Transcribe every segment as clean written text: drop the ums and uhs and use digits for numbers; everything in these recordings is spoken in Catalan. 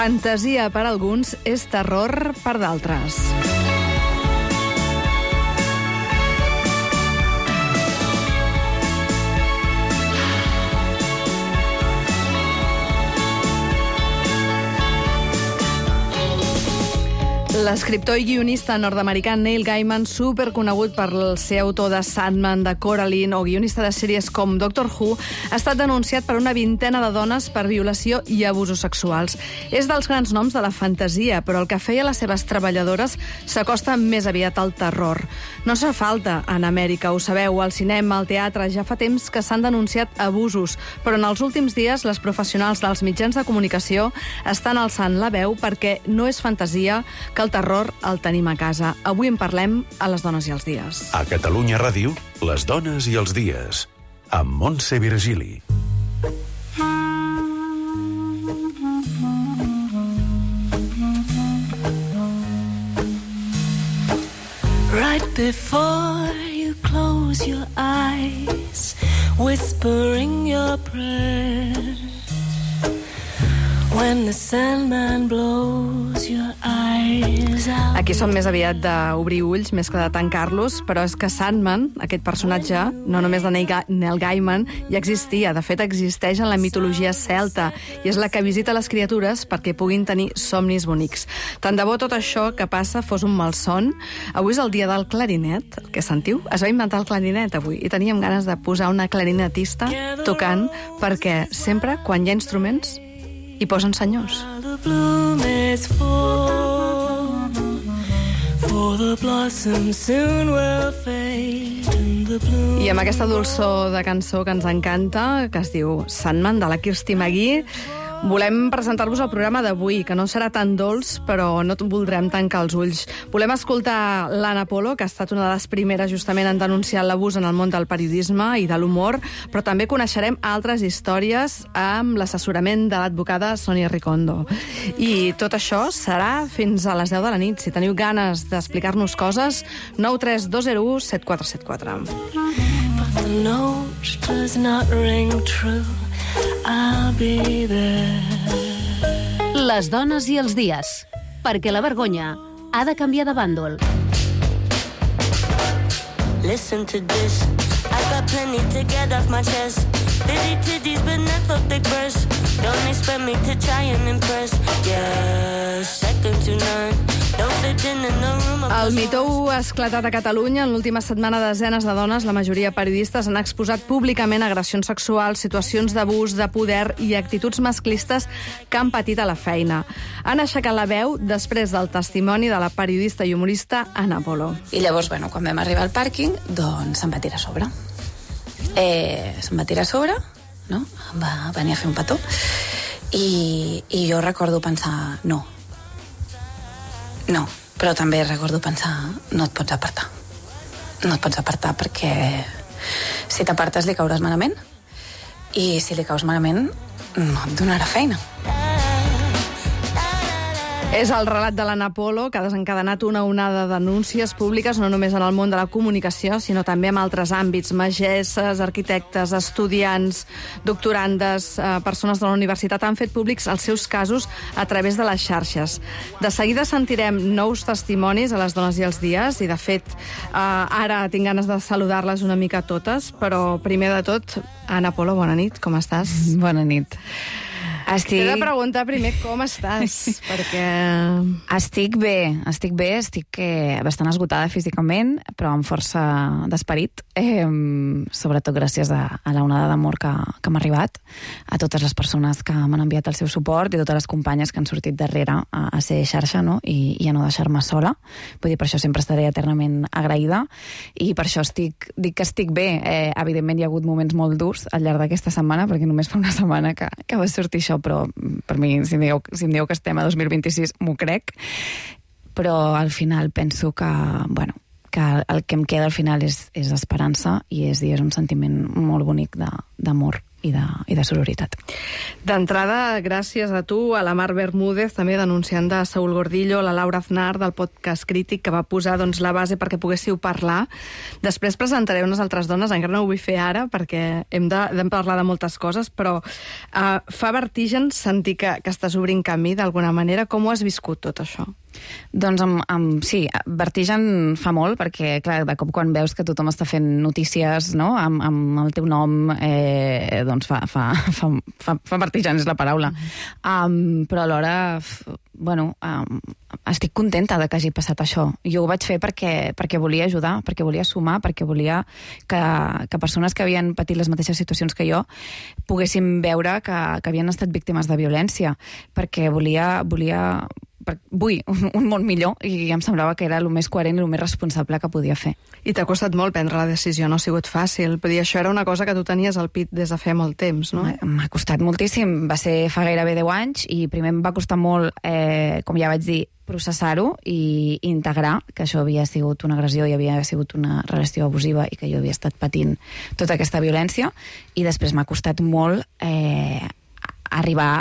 Fantasia per alguns és terror per d'altres. L'escriptor i guionista nord-americà Neil Gaiman, superconegut per ser autor de Sandman, de Coraline o guionista de sèries com Doctor Who, ha estat denunciat per una vintena de dones per violació i abusos sexuals. És dels grans noms de la fantasia, però el que feia les seves treballadores s'acosta més aviat al terror. No fa falta en Amèrica, ho sabeu, al cinema, al teatre, ja fa temps que s'han denunciat abusos, però en els últims dies les professionals dels mitjans de comunicació estan alçant la veu perquè no és fantasia que el terror el tenim a casa. Avui en parlem a Les dones i els dies. A Catalunya Ràdio, Les dones i els dies, amb Montse Virgili. Right before you close your eyes, whispering your prayers, when the Sandman blows your eyes out. Aquí som més aviat d'obrir ulls més que de tancar-los, però és que Sandman, aquest personatge, no només de Neil Gaiman, ja existia. De fet, existeix en la mitologia celta i és la que visita les criatures perquè puguin tenir somnis bonics. Tant de bo tot això que passa fos un malson. Avui és el dia del clarinet, el que sentiu? Es va inventar el clarinet avui i teníem ganes de posar una clarinetista tocant perquè sempre, quan hi ha instruments, hi posen senyors. I amb aquesta dolçor de cançó que ens encanta, que es diu Sandman, de la Kirsty McGee, volem presentar-vos el programa d'avui, que no serà tan dolç, però no voldrem tancar els ulls. Volem escoltar l'Anna Polo, que ha estat una de les primeres justament en denunciar l'abús en el món del periodisme i de l'humor, però també coneixerem altres històries amb l'assessorament de l'advocada Sònia Ricondo. I tot això serà fins a les 10 de la nit. Si teniu ganes d'explicar-nos coses, 93201 7474. But the note does not ring true. I'll be there. Les dones i els dies, perquè la vergonya ha de canviar de bàndol. Listen to this. I got plenty to get off my chest. Bitty titties but never big breasts. Don't expect me to try and impress. Yeah, second to none. Don't fit in the room. El Me Too ha esclatat a Catalunya. En l'última setmana, desenes de dones, la majoria periodistes, han exposat públicament agressions sexuals, situacions d'abús, de poder i actituds masclistes que han patit a la feina. Han aixecat la veu després del testimoni de la periodista i humorista Anna Polo. I llavors, quan vam arribar al pàrquing, doncs se'm va tirar a sobre. Se'm va tirar a sobre, no? Va venir a fer un petó. I jo recordo pensar, no, però també recordo pensar, no et pots apartar. No et pots apartar perquè si t'apartes li cauràs malament i si li caus malament no et donarà feina. És el relat de l'Anna Polo, que ha desencadenat una onada de denúncies públiques, no només en el món de la comunicació, sinó també en altres àmbits. Magesses, arquitectes, estudiants, doctorandes, persones de la universitat han fet públics els seus casos a través de les xarxes. De seguida sentirem nous testimonis a Les dones i els dies, i de fet ara tinc ganes de saludar-les una mica totes, però primer de tot, Anna Polo, bona nit, com estàs? Bona nit. T'he de preguntar primer com estàs, perquè... Estic bé, estic bastant esgotada físicament, però amb força d'esperit, sobretot gràcies a la onada d'amor que m'ha arribat, a totes les persones que m'han enviat el seu suport i totes les companyes que han sortit darrere a ser xarxa, no? I a no deixar-me sola. Vull dir, per això sempre estaré eternament agraïda, i per això dic que estic bé. Evidentment hi ha hagut moments molt durs al llarg d'aquesta setmana, perquè només fa una setmana que va sortir això, però per mi, si em dieu que estem a 2026, m'ho crec. Però al final penso que, que el que em queda al final és esperança, i és un sentiment molt bonic d'amor de sororitat. D'entrada, gràcies a tu, a la Mar Bermúdez, també denunciant de Saúl Gordillo, la Laura Aznar, del podcast Crític, que va posar la base perquè poguéssiu parlar. Després presentaré unes altres dones, encara no ho vull fer ara, perquè hem de parlar de moltes coses, però fa vertigen sentir que estàs obrint camí d'alguna manera. Com ho has viscut, tot això? Doncs sí, vertigen fa molt, perquè clar, de cop quan veus que tothom està fent notícies, no?, amb el teu nom, doncs fa vertigen, és la paraula. Però alhora, estic contenta de que hagi passat això. Jo ho vaig fer perquè volia ajudar, perquè volia sumar, perquè volia que persones que havien patit les mateixes situacions que jo poguessin veure que havien estat víctimes de violència, perquè vull un món millor i em semblava que era el més coherent i el més responsable que podia fer. I t'ha costat molt prendre la decisió, no ha sigut fàcil. Però això era una cosa que tu tenies al pit des de fa molt temps, no? M'ha costat moltíssim. Va ser fa gairebé 10 anys i primer em va costar molt, com ja vaig dir, processar-ho i integrar que això havia sigut una agressió i havia sigut una relació abusiva i que jo havia estat patint tota aquesta violència, i després m'ha costat molt arribar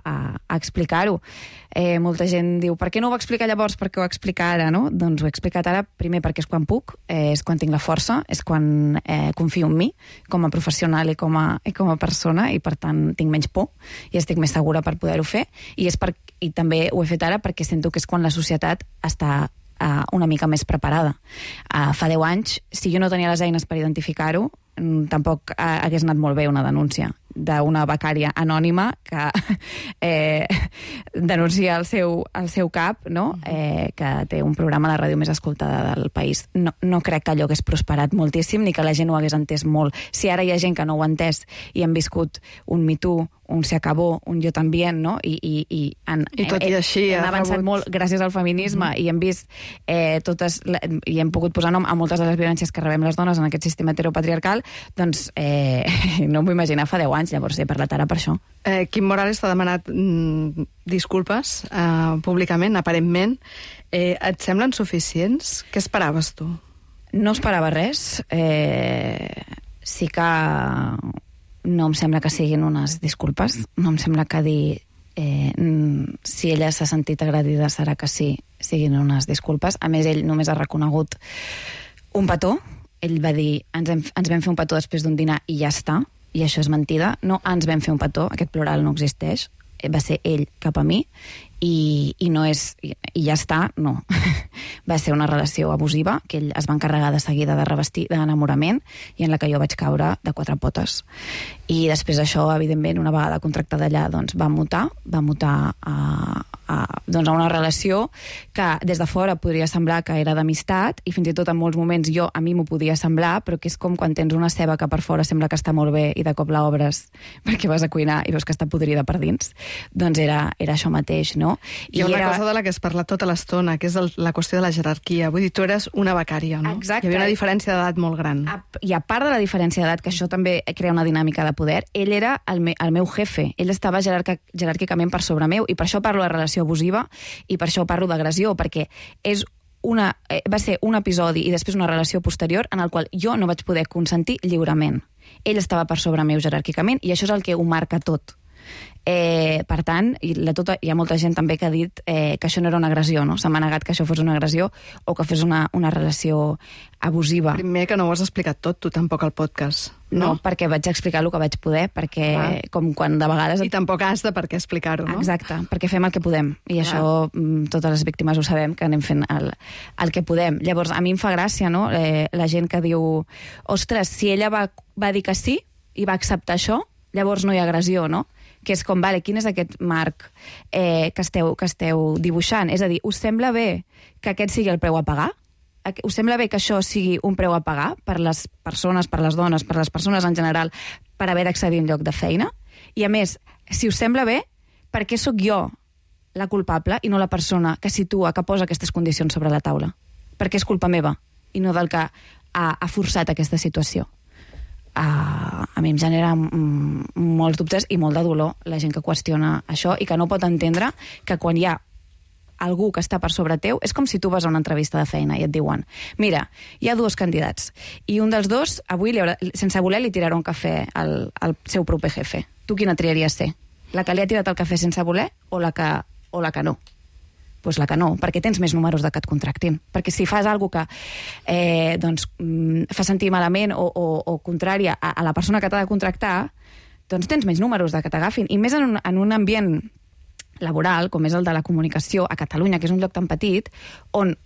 a explicar-ho. Molta gent diu, per què no ho va explicar llavors, per què ho va explicar ara, no? Doncs ho he explicat ara, primer perquè és quan puc, és quan tinc la força, és quan confio en mi com a professional i com a persona, i per tant tinc menys por i estic més segura per poder-ho fer, i també ho he fet ara perquè sento que és quan la societat està una mica més preparada. Fa 10 anys, si jo no tenia les eines per identificar-ho, tampoc hagués anat molt bé una denúncia d'una becària anònima que denuncia el seu cap, no? Que té un programa a la ràdio més escoltada del país. No crec que allò hagués prosperat moltíssim ni que la gent ho hagués entès molt. Si ara hi ha gent que no ho ha entès i han viscut un Me Too, un Se Acabó, un Yo También, no? I tot i així han avançat molt gràcies al feminisme i hem vist totes, i hem pogut posar nom a moltes de les violències que rebem les dones en aquest sistema heteropatriarcal, doncs no m'ho imaginar fa 10 anys, llavors he parlat ara per això. Quim Morales t'ha demanat disculpes públicament, aparentment. Et semblen suficients? Què esperaves tu? No esperava res. Sí que no em sembla que siguin unes disculpes. No em sembla que dir si ella s'ha sentit agredida serà que sí, siguin unes disculpes. A més, ell només ha reconegut un petó. Ell va dir, ens vam fer un petó després d'un dinar i ja està, i això és mentida. No ens vam fer un petó, aquest plural no existeix, va ser ell cap a mi, i no és, i ja està, no. Va ser una relació abusiva que ell es va encarregar de seguida de revestir d'enamorament i en la que jo vaig caure de 4 potes. I després d'això, evidentment, una vegada contractada allà, doncs va mutar a una relació que des de fora podria semblar que era d'amistat, i fins i tot en molts moments a mi m'ho podia semblar, però que és com quan tens una ceba que per fora sembla que està molt bé i de cop l'obres perquè vas a cuinar i veus que està podrida per dins. Doncs era això mateix, no? Hi ha una cosa de la que es parla tota l'estona, que és la qüestió de la jerarquia. Vull dir, tu eres una becària, no? Exacte. Hi havia una diferència d'edat molt gran. I a part de la diferència d'edat, que això també crea una dinàmica de poder, ell era el meu jefe. Ell estava jeràrquicament per sobre meu, i per això parlo de relació abusiva i per això parlo d'agressió, perquè va ser un episodi i després una relació posterior en el qual jo no vaig poder consentir lliurement. Ell estava per sobre meu jeràrquicament, i això és el que ho marca tot. Per tant, hi ha molta gent també que ha dit que això no era una agressió, no? Se m'ha negat que això fos una agressió o que fos una relació abusiva. Primer, que no ho has explicat tot, tu tampoc al podcast. No, perquè vaig explicar el que vaig poder, perquè com quan de vegades... I tampoc has de per què explicar-ho, no? Exacte, perquè fem el que podem, i això totes les víctimes ho sabem, que anem fent el que podem. Llavors, a mi em fa gràcia, no?, la gent que diu, ostres, si ella va dir que sí i va acceptar això, llavors no hi ha agressió, no? Que és com, vale, quin és aquest marc que esteu dibuixant? És a dir, us sembla bé que aquest sigui el preu a pagar? Us sembla bé que això sigui un preu a pagar per les persones, per les dones, per les persones en general, per haver d'accedir a un lloc de feina? I a més, si us sembla bé, per què sóc jo la culpable i no la persona que situa, que posa aquestes condicions sobre la taula? Perquè és culpa meva i no del que ha forçat aquesta situació. A mi em genera molts dubtes i molt de dolor la gent que qüestiona això i que no pot entendre que quan hi ha algú que està per sobre teu, és com si tu vas a una entrevista de feina i et diuen, mira, hi ha 2 candidats, i un dels 2, avui, sense voler, li tirarà un cafè al seu proper jefe. Tu quina triaries ser? La que li ha tirat el cafè sense voler o la que no? Pues la que no, perquè tens més números de que et contractin. Perquè si fas alguna cosa que fa sentir malament o contrària a la persona que t'ha de contractar, doncs tens més números de que t'agafin. I més en un ambient laboral, com és el de la comunicació a Catalunya, que és un lloc tan petit, on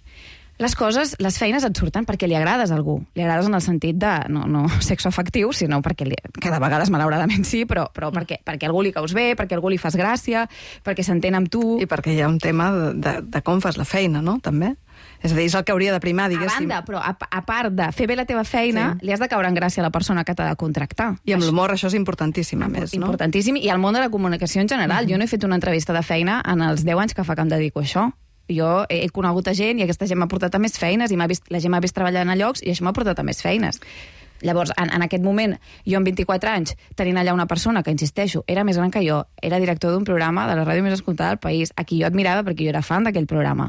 les feines et surten perquè li agrades a algú. Li agrades en el sentit de, no sexoafectiu, sinó perquè, que de vegades malauradament sí, però perquè algú li caus bé, perquè algú li fas gràcia, perquè s'entén amb tu. I perquè hi ha un tema de com fas la feina, no?, també. És a dir, és el que hauria de primar, diguéssim. A banda, però a part de fer bé la teva feina, li has de caure en gràcia a la persona que t'ha de contractar. I amb l'humor això és importantíssim, a més, no? Importantíssim, i al món de la comunicació en general. Jo no he fet una entrevista de feina en els 10 anys que fa que em dedico a això. Jo he conegut a gent i aquesta gent m'ha portat a més feines i la gent m'ha vist treballant a llocs i això m'ha portat a més feines. Llavors, en aquest moment, jo amb 24 anys, tenint allà una persona que, insisteixo, era més gran que jo, era director d'un programa de la ràdio més escoltada del país, a qui jo admirava perquè jo era fan d'aquell programa.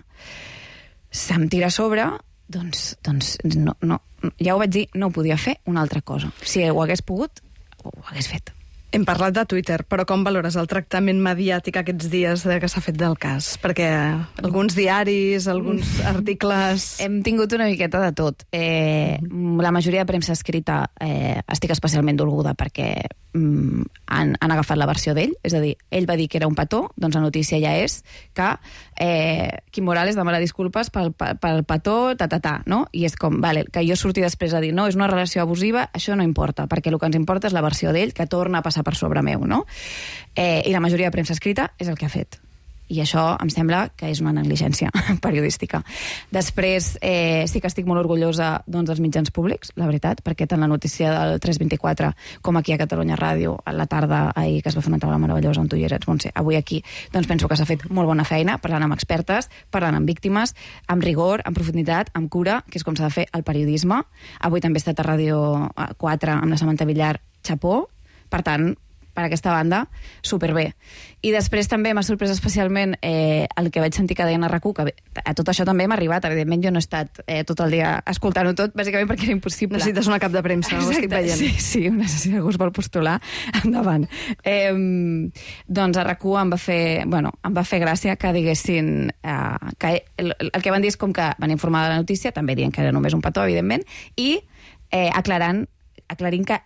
Se'm tira a sobre, doncs no, ja ho vaig dir, no ho podia fer una altra cosa. Si ho hagués pogut, ho hagués fet. Hem parlat de Twitter, però com valores el tractament mediàtic aquests dies que s'ha fet del cas? Perquè alguns diaris, alguns articles... Hem tingut una miqueta de tot. La majoria de premsa escrita estic especialment dolguda perquè han agafat la versió d'ell, és a dir, ell va dir que era un petó, doncs la notícia ja és que Quim Morales demana disculpes pel petó, no? I és com, vale, que jo surti després a dir, no, és una relació abusiva, això no importa, perquè el que ens importa és la versió d'ell, que torna a passar per sobre meu, no? I la majoria de premsa escrita és el que ha fet. I això em sembla que és una negligència periodística. Després, sí que estic molt orgullosa dels mitjans públics, la veritat, perquè tant la notícia del 324 com aquí a Catalunya Ràdio, a la tarda ahir que es va fer una taula meravellosa on tu hi eres, Montse, avui aquí, doncs penso que s'ha fet molt bona feina, parlant amb expertes, parlant amb víctimes, amb rigor, amb profunditat, amb cura, que és com s'ha de fer el periodisme. Avui també he estat a Ràdio 4 amb la Samantha Villar, xapó, per tant, per aquesta banda, superbé. I després també m'ha sorprès especialment el que vaig sentir que deien a RAC1, que a tot això també m'ha arribat. Evidentment jo no he estat tot el dia escoltant-ho tot, bàsicament perquè era impossible. Necessites una cap de premsa, ho estic veient. Sí, si algú es vol postular, endavant. Doncs a RAC1 em va fer gràcia que diguessin que el que van dir és com que van informar de la notícia, també dient que era només un petó, evidentment, i aclarint que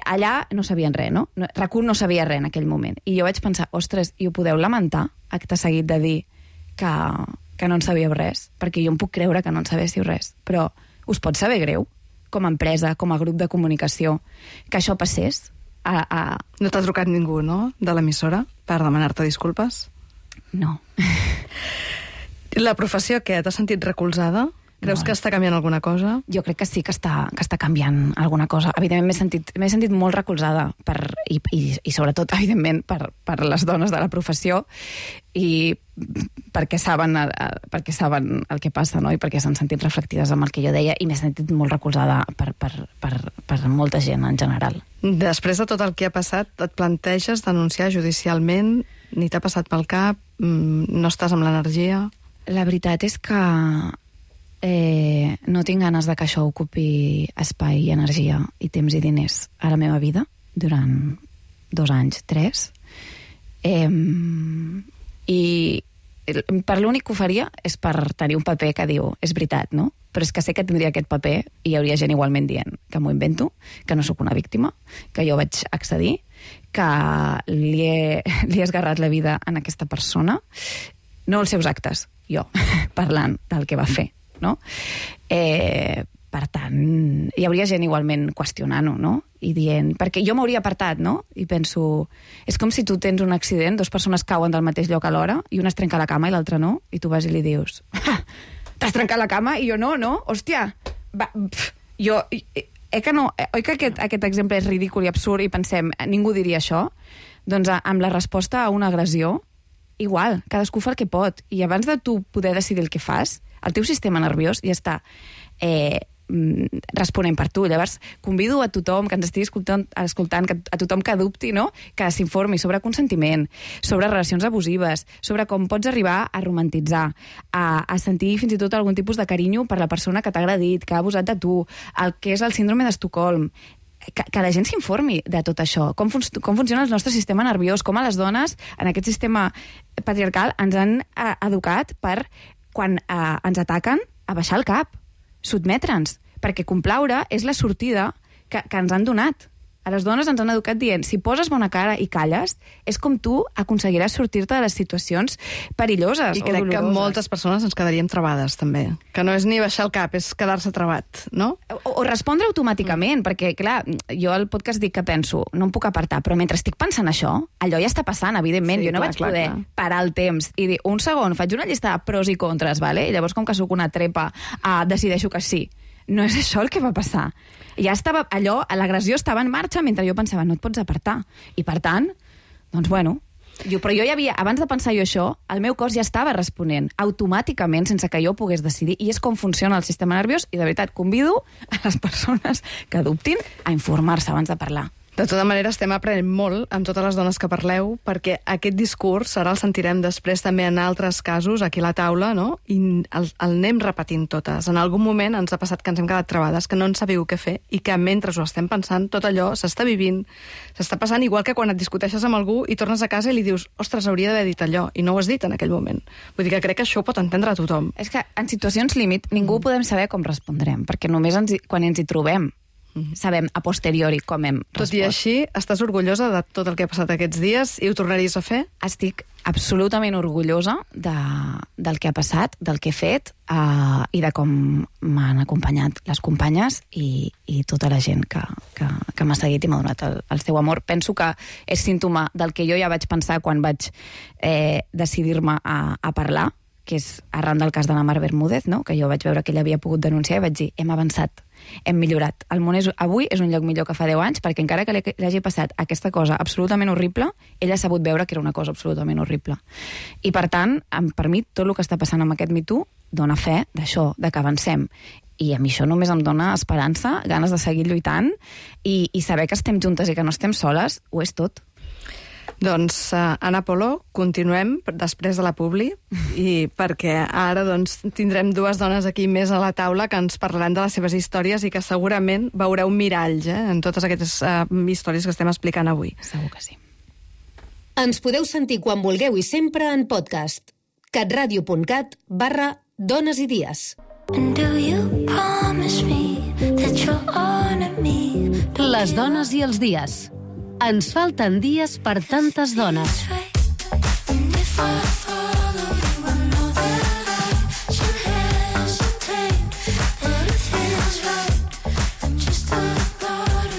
allà no sabien res, no? RAC1 no sabia res en aquell moment. I jo vaig pensar, ostres, i ho podeu lamentar, acte seguit de dir que no en sabíeu res? Perquè jo em puc creure que no en sabéssiu res. Però us pot saber greu, com a empresa, com a grup de comunicació, que això passés? No t'ha trucat ningú, no?, de l'emissora per demanar-te disculpes? No. La professió, què? T'has sentit recolzada? Creus que està canviant alguna cosa? Jo crec que sí que està canviant alguna cosa. Evidentment m'he sentit molt recolzada i sobretot, evidentment, per les dones de la professió i perquè saben el que passa, no? I perquè s'han sentit reflectides amb el que jo deia i m'he sentit molt recolzada per molta gent en general. Després de tot el que ha passat, et planteges denunciar judicialment? Ni t'ha passat pel cap? No estàs amb l'energia? La veritat és que no tinc ganes de que això ocupi espai i energia i temps i diners a la meva vida durant 2 anys, 3. I per l'únic que ho faria és per tenir un paper que diu, és veritat, no? Però és que sé que tindria aquest paper i hi hauria gent igualment dient que m'ho invento, que no sóc una víctima, que jo vaig accedir, que li he esgarrat la vida a aquesta persona, no els seus actes, jo, parlant del que va fer, no? Per tant, hi hauria gent igualment qüestionant-ho, no? I dient... Perquè jo m'hauria apartat, no? I penso... És com si tu tens un accident, 2 persones cauen del mateix lloc alhora i una es trenca la cama i l'altra no, i tu vas i li dius... T'has trencat la cama? I jo no? Hòstia! Oi que aquest exemple és ridícul i absurd i pensem, ningú diria això? Doncs amb la resposta a una agressió, igual, cadascú fa el que pot. I abans de tu poder decidir el que fas, el teu sistema nerviós ja està responent per tu. Llavors, convido a tothom que ens estigui escoltant a tothom que dubti, no?, que s'informi sobre consentiment, sobre relacions abusives, sobre com pots arribar a romantitzar, a sentir fins i tot algun tipus de carinyo per la persona que t'ha agredit, que ha abusat de tu, el que és el síndrome d'Estocolm, que la gent s'informi de tot això, com funciona el nostre sistema nerviós, com a les dones en aquest sistema patriarcal ens han educat per, quan ens ataquen, a baixar el cap, sotmetre'ns, perquè complaure és la sortida que ens han donat. A les dones ens han educat dient, si poses bona cara i calles, és com tu aconseguiràs sortir-te de les situacions perilloses o doloroses. I crec que moltes persones ens quedaríem travades, també. Que no és ni baixar el cap, és quedar-se trabat, no? O respondre automàticament, perquè, clar, jo al podcast dic que penso, no em puc apartar, però mentre estic pensant això, allò ja està passant, evidentment. Sí, jo no vaig poder parar el temps i dir, un segon, faig una llista de pros i contres, vale? I llavors, com que sóc una trepa, decideixo que sí. No és això el que va passar. Ja estava allò, l'agressió estava en marxa mentre jo pensava, no et pots apartar. I per tant, doncs bueno, però jo ja havia, abans de pensar jo això, el meu cos ja estava responent automàticament sense que jo pogués decidir, i és com funciona el sistema nerviós, i de veritat convido a les persones que dubtin a informar-se abans de parlar. De tota manera, estem aprenent molt amb totes les dones que parleu, perquè aquest discurs, ara el sentirem després també en altres casos, aquí a la taula, no? I el anem repetint totes. En algun moment ens ha passat que ens hem quedat travades, que no en sabíeu què fer, i que mentre ho estem pensant, tot allò s'està vivint, s'està passant igual que quan et discuteixes amb algú i tornes a casa i li dius, ostres, hauria d'haver dit allò, i no ho has dit en aquell moment. Vull dir que crec que això ho pot entendre tothom. És que en situacions límit ningú podem saber com respondrem, perquè només quan ens hi trobem sabem a posteriori com hem respost. Tot i així, estàs orgullosa de tot el que ha passat aquests dies i ho tornaries a fer? Estic absolutament orgullosa del que ha passat, del que he fet i de com m'han acompanyat les companyes i tota la gent que m'ha seguit i m'ha donat el seu amor. Penso que és símptoma del que jo ja vaig pensar quan vaig decidir-me a parlar, que és arran del cas de la Mar Bermúdez, no? Que jo vaig veure que ella havia pogut denunciar i vaig dir, hem avançat, hem millorat. El món avui és un lloc millor que fa 10 anys, perquè encara que li hagi passat aquesta cosa absolutament horrible, ella ha sabut veure que era una cosa absolutament horrible. I per tant, per mi, tot el que està passant amb aquest Me Too dona fe d'això, de que avancem. I a mi això només em dona esperança, ganes de seguir lluitant, i saber que estem juntes i que no estem soles, ho és tot. Doncs, Ana Polo, continuem després de la publi, i perquè ara doncs, tindrem dues dones aquí més a la taula que ens parlaran de les seves històries i que segurament veureu miralls en totes aquestes històries que estem explicant avui. Segur que sí. Ens podeu sentir quan vulgueu i sempre en podcast. catradio.cat/dones i dies. Les dones i els dies. Ens falten dies per tantes dones.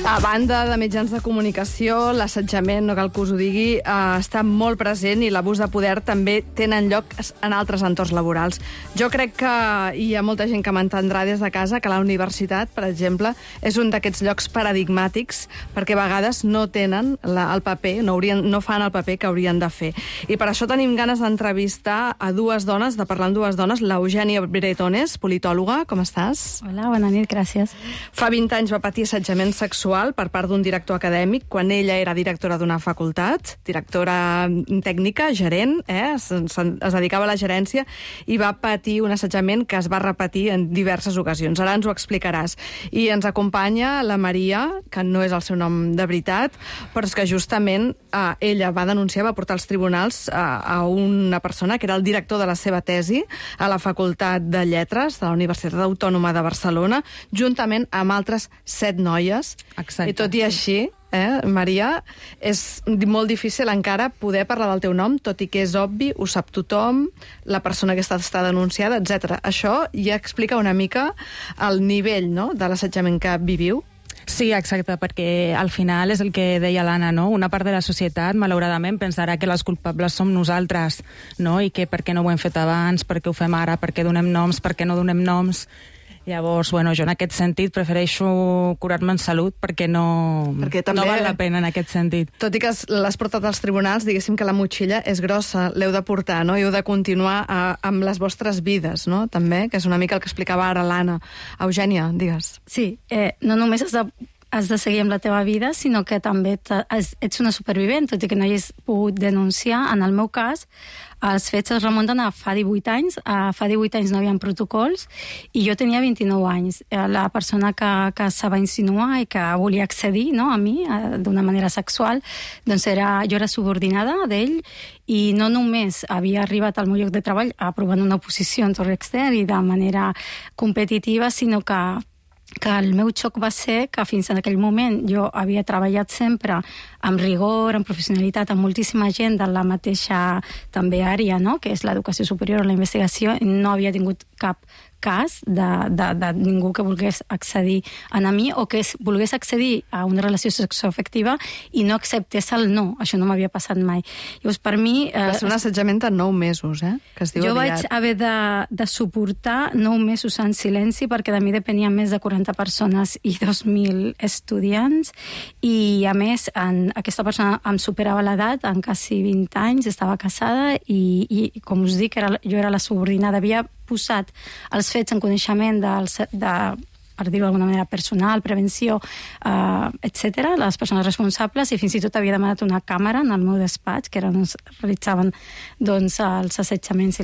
A banda de mitjans de comunicació, l'assetjament, no cal que us ho digui, està molt present, i l'abús de poder també tenen lloc en altres entorns laborals. Jo crec que hi ha molta gent que m'entendrà des de casa que la universitat, per exemple, és un d'aquests llocs paradigmàtics, perquè a vegades no tenen el paper, no fan el paper que haurien de fer. I per això tenim ganes d'entrevistar a dues dones, de parlar amb dues dones, l'Eugènia Bretones, politòloga, com estàs? Hola, bona nit, gràcies. Fa 20 anys va patir assetjament sexual per part d'un director acadèmic, quan ella era directora d'una facultat, directora tècnica, gerent, es dedicava a la gerència, i va patir un assetjament que es va repetir en diverses ocasions. Ara ens ho explicaràs. I ens acompanya la Maria, que no és el seu nom de veritat, però és que justament ella va denunciar, va portar als tribunals a una persona que era el director de la seva tesi a la Facultat de Lletres de la Universitat Autònoma de Barcelona, juntament amb altres 7 noies. Exacte. I tot i així, Maria, és molt difícil encara poder parlar del teu nom, tot i que és obvi, ho sap tothom, la persona que està denunciada, etc. Això ja explica una mica el nivell, no?, de l'assetjament que viviu. Sí, exacte, perquè al final és el que deia l'Anna, no? Una part de la societat, malauradament, pensarà que les culpables som nosaltres, no? I que per què no ho hem fet abans, per què ho fem ara, per què donem noms, per què no donem noms. Llavors, bueno, jo en aquest sentit prefereixo curar-me en salut perquè no val la pena en aquest sentit. Tot i que l'has portat als tribunals, diguéssim que la motxilla és grossa, l'heu de portar, no? I heu de continuar amb les vostres vides, no? També, que és una mica el que explicava ara l'Anna. Eugènia, digues. Sí, no només has de seguir amb la teva vida, sinó que també ets una supervivent, tot i que no hagis pogut denunciar. En el meu cas, els fets es remunten a fa 18 anys. Fa 18 anys no hi havia protocols i jo tenia 29 anys. La persona que se va insinuar i que volia accedir, no, a mi d'una manera sexual, doncs jo era subordinada d'ell i no només havia arribat al meu lloc de treball aprovant una oposició en torn extern i de manera competitiva, sinó que el meu xoc va ser que fins en aquell moment jo havia treballat sempre amb rigor, amb professionalitat, amb moltíssima gent de la mateixa també àrea, no? Que és l'educació superior o la investigació, i no havia tingut cap cas de ningú que volgués accedir a mi o que volgués accedir a una relació sexoafectiva i no acceptés el no. Això no m'havia passat mai. Llavors, per mi... Va ser un assetjament de 9 mesos, que es diu jo aviat. Vaig haver de suportar 9 mesos en silenci perquè de mi depenien més de 40 persones i 2.000 estudiants i, a més, aquesta persona em superava l'edat en quasi 20 anys, estava casada i com us dic, jo era la subordinada, havia posat els fets en coneixement per dir-ho d'alguna manera, personal, prevenció, etc., les persones responsables, i fins i tot havia demanat una càmera en el meu despatx, que era on es realitzaven els assetjaments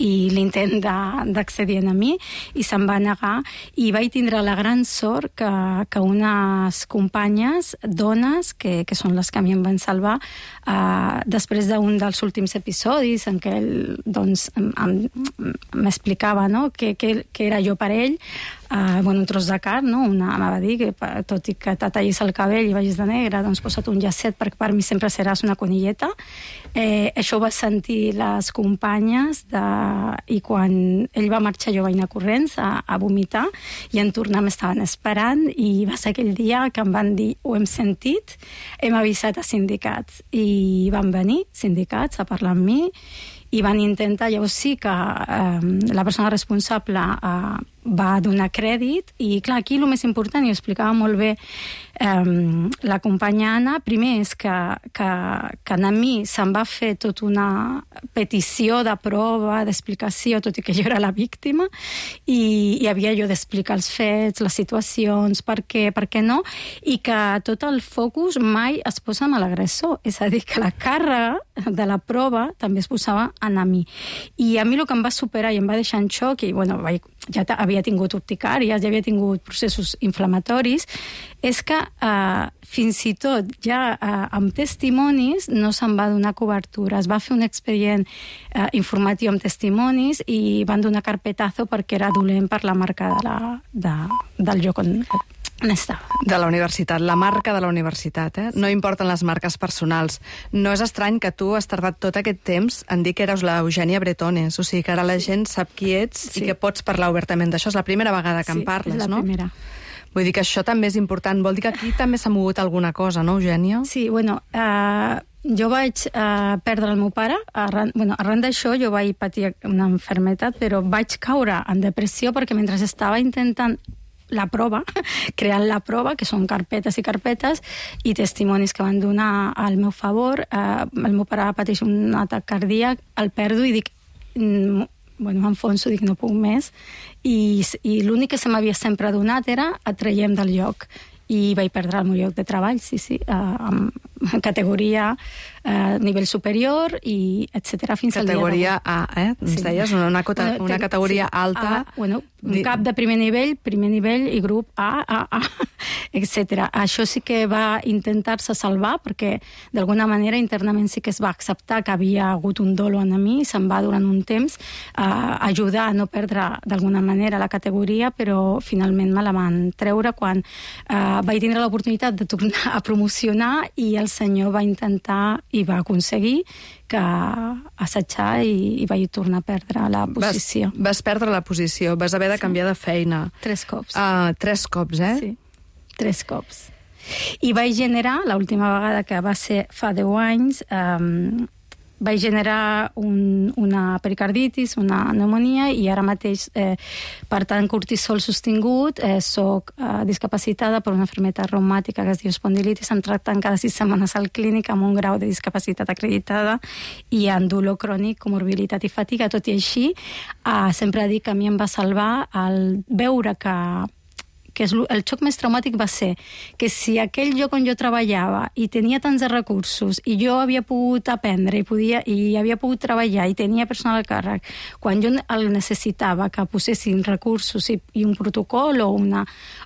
i l'intent d'accedir a mi, i se'm va negar, i vaig tindre la gran sort que unes companyes, dones, que són les que a mi em van salvar, després d'un dels últims episodis en què m'explicava, no?, que era jo per ell, un tros de carn, no? Em va dir que tot i que te tallis el cabell i vagis de negre, doncs posa't un llacet perquè per mi sempre seràs una conilleta. Això ho va sentir les companyes i quan ell va marxar jo vaig anar corrents a vomitar i en tornar m'estaven esperant i va ser aquell dia que em van dir ho hem sentit, hem avisat a sindicats i van venir sindicats a parlar amb mi i van intentar, llavors sí que la persona responsable va donar crèdit i clar, aquí el més important, i ho explicava molt bé la companya Anna, primer és que a mi se'm va fer tota una petició de prova, d'explicació, tot i que jo era la víctima i havia jo d'explicar els fets, les situacions, per què no, i que tot el focus mai es posa en l'agressor, és a dir, que la càrrega de la prova també es posava en a mi. I a mi el que em va superar i em va deixar en xoc, i ja havia tingut urticàries, ja havia tingut processos inflamatoris, és que fins i tot ja amb testimonis no se'n va donar cobertura. Es va fer un expedient informatiu amb testimonis i van donar carpetazo perquè era dolent per la marca del lloc on estava. De la universitat, la marca de la universitat, No importen les marques personals. No és estrany que tu has tardat tot aquest temps en dir que eres la Eugènia Bretones, o sigui que ara la gent sap qui ets i que pots parlar obertament d'això. És la primera vegada que en parles, no? Sí, és la primera. Vull dir que això també és important. Vol dir que aquí també s'ha mogut alguna cosa, no, Eugènia? Sí, jo vaig perdre el meu pare. Arran d'això jo vaig patir una malaltia, però vaig caure en depressió perquè mentre estava intentant la prova, creant la prova, que són carpetes i carpetes, i testimonis que van donar al meu favor, el meu pare pateix un atac cardíac, el perdo i dic, m'enfonso, dic no puc més, i l'únic que se m'havia sempre donat era et traiem del lloc. I vaig perdre el meu lloc de treball, sí, en categoria nivell superior, i etc. fins al dia d'avui. Categoria A, ens deies? Una categoria alta. Un cap de primer nivell i grup A, etc. Això sí que va intentar-se salvar, perquè d'alguna manera internament sí que es va acceptar que havia hagut un dolo en mi, i se'm va durant un temps ajudar a no perdre d'alguna manera la categoria, però finalment me la van treure quan vaig tindre l'oportunitat de tornar a promocionar i el senyor va intentar i va aconseguir que assetjar i vaig tornar a perdre la posició. Vas perdre la posició, vas haver de canviar de feina. 3 cops. 3 cops, Sí, 3 cops. I vaig generar, l'última vegada que va ser fa 10 anys, vaig generar una pericarditis, una pneumonia, i ara mateix, per tant, cortisol sostingut, soc discapacitada per una malaltia reumàtica que es diu espondilitis, em tracten cada 6 setmanes al clínic amb un grau de discapacitat acreditada i en dolor crònic, comorbilitat i fatiga. Tot i així, sempre dic que a mi em va salvar el veure que el xoc més traumàtic va ser que si aquell lloc on jo treballava i tenia tants recursos i jo havia pogut aprendre i havia pogut treballar i tenia personal al càrrec, quan jo el necessitava que posessin recursos i un protocol o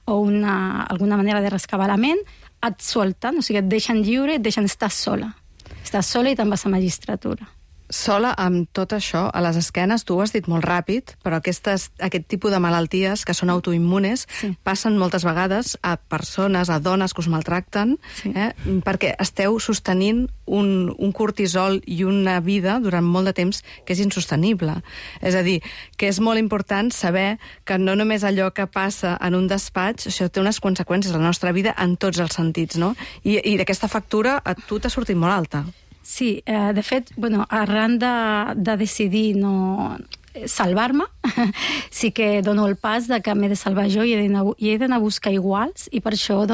alguna manera de rescabar la ment, et solten, o sigui, et deixen lliure, et deixen estar sola. Estàs sola i te'n vas a magistratura. Sola amb tot això, a les esquenes, tu ho has dit molt ràpid, però aquest tipus de malalties que són autoimmunes passen moltes vegades a persones, a dones que us maltracten, perquè esteu sostenint un cortisol i una vida durant molt de temps que és insostenible. És a dir, que és molt important saber que no només allò que passa en un despatx, això té unes conseqüències a la nostra vida en tots els sentits, no? I d'aquesta factura a tu t'ha sortit molt alta. Sí, de fet, arran de decidir no salvar-me, sí que dono el pas de que m'he de salvar jo i he d'anar a buscar iguals, i per això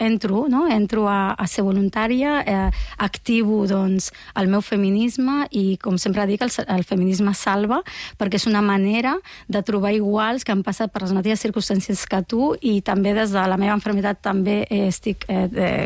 entro a ser voluntària, activo el meu feminisme, i com sempre dic, el feminisme salva, perquè és una manera de trobar iguals que han passat per les mateixes circumstàncies que tu, i també des de la meva malaltia també estic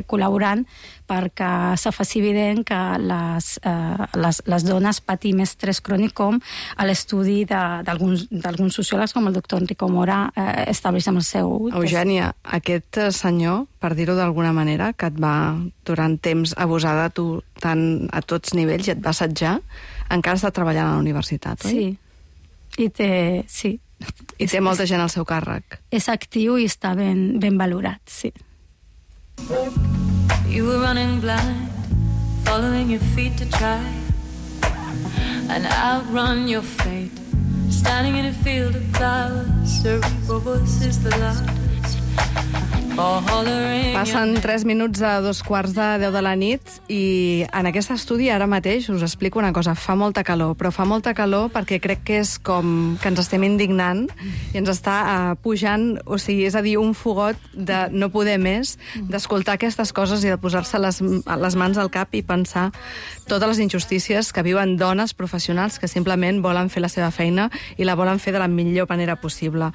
col·laborant perquè se faci evident que les dones patim estrès crònic, com a l'estudi d'alguns sociòlegs com el doctor Enrico Mora estableix amb el seu... Eugènia, aquest senyor, per dir-ho d'alguna manera, que et va durant temps abusar de tu tant a tots nivells i et va assetjar, encara està treballant a la universitat, oi? Sí. I té molta gent al seu càrrec. És actiu i està ben valorat, sí. You were running blind, following your feet to try and outrun your fate. Standing in a field of flowers, cerebral voices the loudest. Passen 3 minuts a 2:15 de la nit i en aquest estudi ara mateix us explico una cosa. Fa molta calor, però fa molta calor perquè crec que és com que ens estem indignant i ens està pujant, o sigui, és a dir, un fogot de no poder més, d'escoltar aquestes coses i de posar-se les mans al cap i pensar totes les injustícies que viuen dones professionals que simplement volen fer la seva feina i la volen fer de la millor manera possible.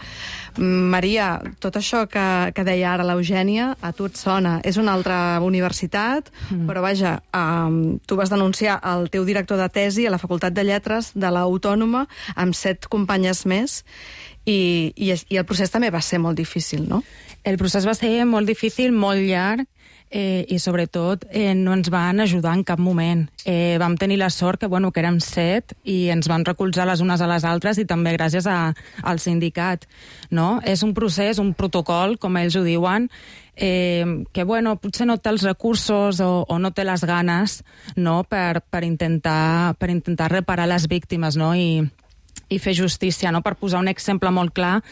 Maria, tot això que deia ara l'Eugènia, a tu et sona. És una altra universitat, però vaja, tu vas denunciar el teu director de tesi a la Facultat de Lletres de l'Autònoma amb 7 companyes més i el procés també va ser molt difícil, no? El procés va ser molt difícil, molt llarg, i sobretot no ens van ajudar en cap moment. Vam tenir la sort que érem 7 i ens van recolzar les unes a les altres, i també gràcies al sindicat, no? És un procés, un protocol, com ells ho diuen, que potser no té els recursos o no té les ganes, no, per intentar reparar les víctimes, no, i fer justícia, no? Per posar un exemple molt clar,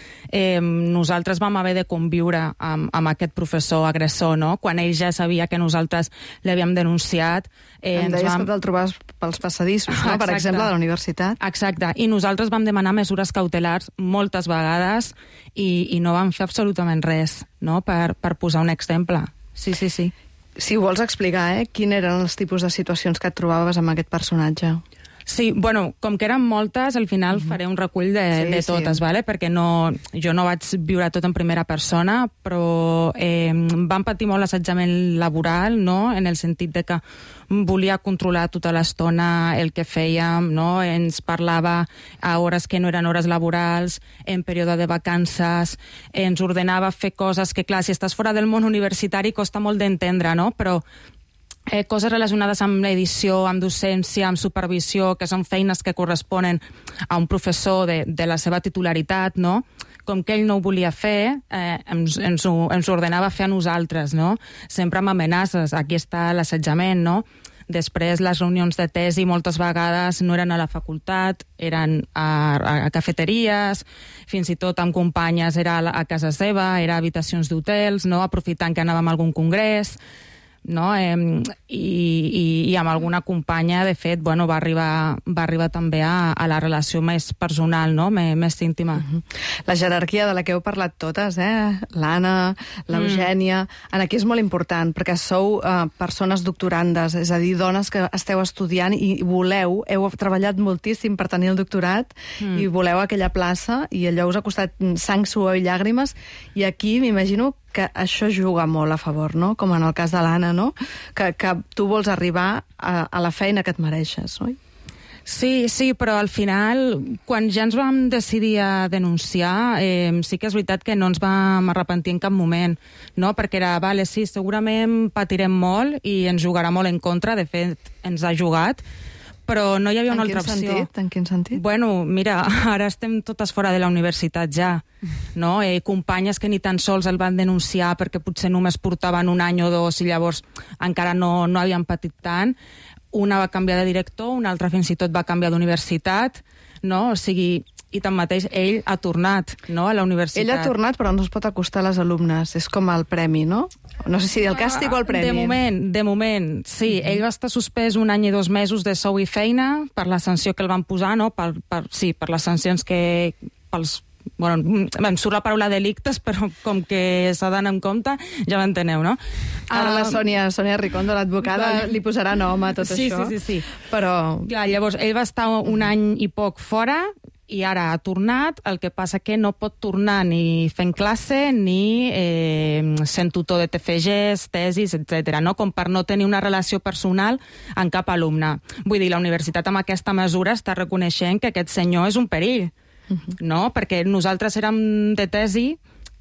nosaltres vam haver de conviure amb aquest professor agressor, no? Quan ell ja sabia que nosaltres l'havíem denunciat. Em deies que te'l trobaves pels passadissos, no? Per exemple, de la universitat. Exacte, i nosaltres vam demanar mesures cautelars moltes vegades i no vam fer absolutament res, no? Per posar un exemple. Sí. Si ho vols explicar, quins eren els tipus de situacions que et trobaves amb aquest personatge? Sí, com que eren moltes, al final faré un recull de totes, ¿vale? Perquè jo no vaig viure tot en primera persona, però vam patir molt assetjament laboral, no? En el sentit de que volia controlar tota l'estona el que fèiem, no? Ens parlava a hores que no eren hores laborals, en període de vacances, ens ordenava fer coses que, clar, si estàs fora del món universitari costa molt d'entendre, no? Però coses relacionades amb l'edició, amb docència, amb supervisió, que són feines que corresponen a un professor de la seva titularitat, no? Com que ell no ho volia fer, ens ho ordenava fer a nosaltres, no? Sempre amb amenaces. Aquí està l'assetjament, no? Després, les reunions de tesi moltes vegades no eren a la facultat, eren a cafeteries, fins i tot amb companyes era a casa seva, era a habitacions d'hotels, no? Aprofitant que anàvem a algun congrés. no? I amb alguna companya, de fet, bueno, va arribar també a la relació més personal, no? Més íntima. La jerarquia de la que heu parlat totes, l'Anna, l'Eugènia, aquí és molt important, perquè sou persones doctorandes, és a dir, dones que esteu estudiant i heu treballat moltíssim per tenir el doctorat i voleu aquella plaça i allò us ha costat sang, suor i llàgrimes, i aquí m'imagino que això juga molt a favor, no? Com en el cas de l'Anna, no? Que tu vols arribar a la feina que et mereixes, oi? Sí, però al final, quan ja ens vam decidir a denunciar, sí que és veritat que no ens vam arrepentir en cap moment, no? Perquè era, vale, sí, segurament patirem molt i ens jugarà molt en contra, de fet, ens ha jugat, però no hi havia una altra opció. En quin sentit? Bueno, mira, ara estem totes fora de la universitat ja, no? Companyes que ni tan sols el van denunciar perquè potser només portaven un any o dos i llavors encara no havien patit tant. Una va canviar de director, una altra fins i tot va canviar d'universitat, no? O sigui, i tanmateix ell ha tornat, no?, a la universitat. Ell ha tornat, però no es pot acostar a les alumnes. És com el premi, no? No sé si el càstig o el premi. De moment, sí. Ell va estar suspès 1 any i 2 mesos de sou i feina per la sanció que el van posar, no? Per les sancions que... Bueno, em surt la paraula delictes, però com que s'ha d'anar en compte, ja m'enteneu, no? Ara la Sònia Ricondo, l'advocada, li posarà nom a tot això. Sí. Però... Clar, llavors, ell va estar 1 any i poc fora i ara ha tornat, el que passa que no pot tornar ni fent classe ni sent tutor de TFGs, tesis, etc. no? Com per no tenir una relació personal amb cap alumne. Vull dir, la universitat amb aquesta mesura està reconeixent que aquest senyor és un perill, no? Perquè nosaltres érem de tesi,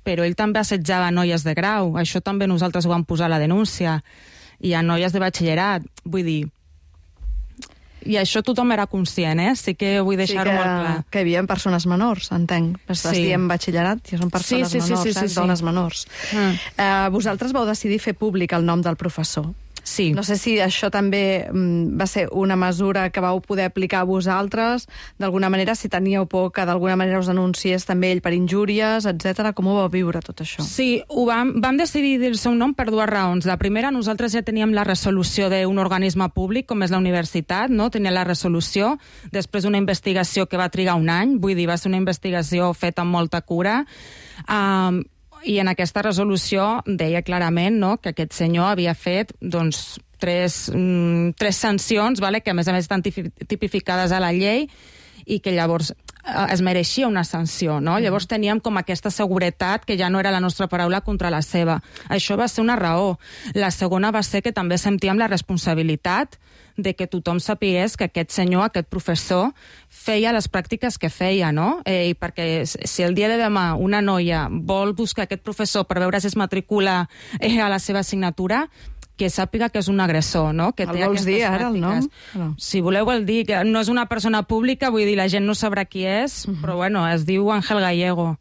però ell també assetjava noies de grau. Això també nosaltres ho vam posar a la denúncia. I a noies de batxillerat. Vull dir... I això tothom era conscient, Sí que vull deixar-ho molt clar. Que hi havia persones menors, entenc. Estàs dient batxillerat, ja són persones menors, dones menors. Vosaltres vau decidir fer públic el nom del professor. Sí. No sé si això també va ser una mesura que vau poder aplicar a vosaltres, d'alguna manera, si teníeu por que d'alguna manera us denunciés també ell per injúries, etc. Com ho vau viure, tot això? Sí, vam decidir dir el seu nom per 2 raons. La primera, nosaltres ja teníem la resolució d'un organisme públic, com és la universitat, no? Tenia la resolució, després d'una investigació que va trigar 1 any, vull dir, va ser una investigació feta amb molta cura, i en aquesta resolució deia clarament, no?, que aquest senyor havia fet doncs, tres sancions, que a més estan tipificades a la llei i que llavors es mereixia una sanció, no? Llavors teníem com aquesta seguretat que ja no era la nostra paraula contra la seva. Això va ser una raó. La segona va ser que també sentíem la responsabilitat de que tothom sapigués que aquest senyor, aquest professor, feia les pràctiques que feia, no? I perquè si el dia de demà una noia vol buscar aquest professor per veure si es matricula a la seva assignatura, que sàpiga que és un agressor, no? Que el vols dir ara, el nom? No. Si voleu el dir, que no és una persona pública, vull dir, la gent no sabrà qui és, però bueno, es diu Ángel Gallego.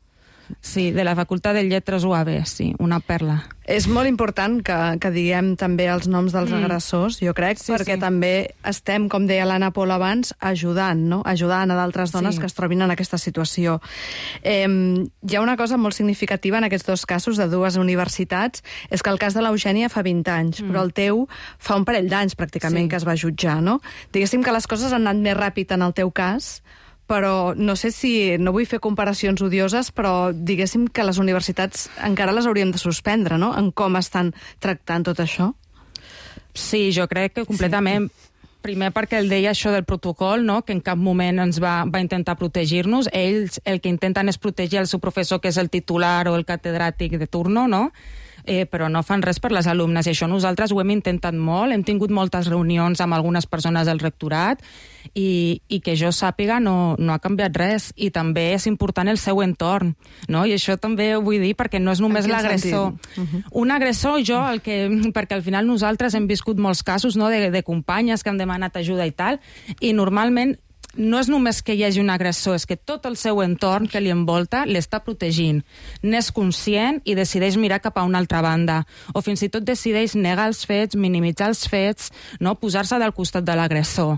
Sí, de la Facultat de Lletres UAB, sí, una perla. És molt important que diguem també els noms dels agressors, jo crec, perquè també estem, com deia l'Anna Pol abans, ajudant, no? Ajudant a d'altres dones que es trobin en aquesta situació. Hi ha una cosa molt significativa en aquests 2 casos de 2 universitats, és que el cas de l'Eugènia fa 20 anys, però el teu fa un parell d'anys pràcticament que es va jutjar, no? Diguéssim que les coses han anat més ràpid en el teu cas, però no sé si... No vull fer comparacions odioses, però diguéssim que les universitats encara les hauríem de suspendre, no?, en com estan tractant tot això. Sí, jo crec que completament. Primer perquè ell deia això del protocol, no?, que en cap moment ens va intentar protegir-nos. Ells el que intenten és protegir el seu professor, que és el titular o el catedràtic de turno, no?, però no fan res per les alumnes, i això nosaltres ho hem intentat molt, hem tingut moltes reunions amb algunes persones del rectorat i que jo sàpiga no ha canviat res, i també és important el seu entorn, no? I això també ho vull dir perquè no és només l'agressor. Un agressor, perquè al final nosaltres hem viscut molts casos, no?, de companyes que han demanat ajuda i tal, i normalment no és només que hi hagi un agressor, és que tot el seu entorn que li envolta l'està protegint. N'és conscient i decideix mirar cap a una altra banda. O fins i tot decideix negar els fets, minimitzar els fets, no? Posar-se del costat de l'agressor.